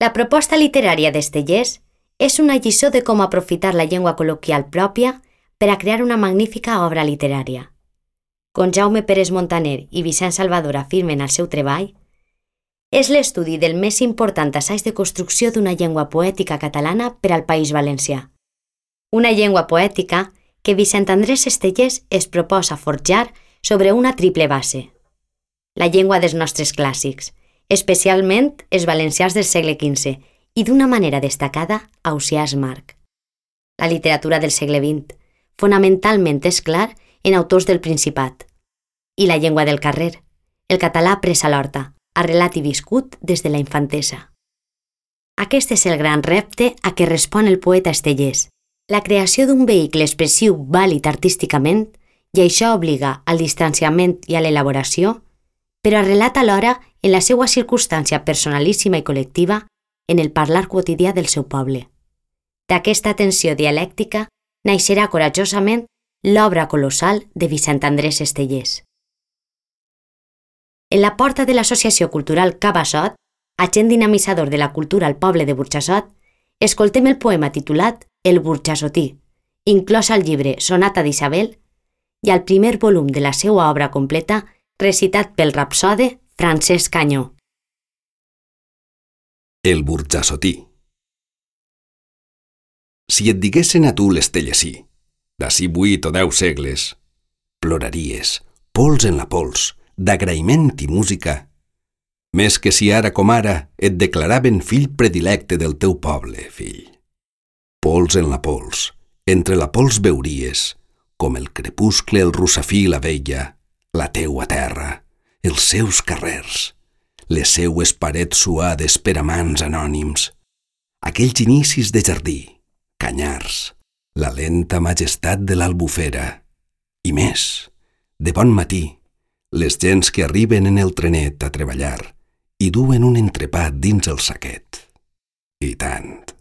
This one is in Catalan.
La proposta literària d'Estellés és una lliçó de com aprofitar la llengua col·loquial pròpia per a crear una magnífica obra literària. Com Jaume Pérez Montaner i Vicent Salvador afirmen al seu treball, és l'estudi del més important assaig de construcció d'una llengua poètica catalana per al País Valencià. Una llengua poètica que Vicent Andrés Estellés es proposa forjar sobre una triple base. La llengua dels nostres clàssics, especialment els valencians del segle XV i d'una manera destacada Ausiàs March. La literatura del segle XX, fonamentalment és clar en autors del Principat. I la llengua del carrer, el català pres a l'horta, arrelat i viscut des de la infantesa. Aquest és el gran repte a què respon el poeta Estellés, la creació d'un vehicle expressiu vàlid artísticament, i això obliga al distanciament i a l'elaboració, però arrelat alhora en la seva circumstància personalíssima i col·lectiva en el parlar quotidià del seu poble. D'aquesta tensió dialèctica naixerà corajosament l'obra colossal de Vicent Andrés Estellés. En la porta de l'Associació Cultural Cabassot, agent dinamitzador de la cultura al poble de Burjassot, escoltem el poema titulat El Burjassotí, inclòs al llibre Sonata d'Isabel i al primer volum de la seva obra completa recitat pel rapsode Francesc Canyó. El Burjassotí. Si et diguessen a tu l'Estellesí, d'ací 8 o 10 segles, ploraries, pols en la pols, d'agraïment i música, més que si ara com ara et declaraven fill predilecte del teu poble, fill. Pols en la pols, entre la pols veuries, com el crepuscle, el rossafí i la vella, la teua terra, els seus carrers, les seues parets suades per amants anònims, aquells inicis de jardí, canyars, la lenta majestat de l'Albufera, i més, de bon matí, les gents que arriben en el trenet a treballar i duen un entrepat dins el saquet. I tant.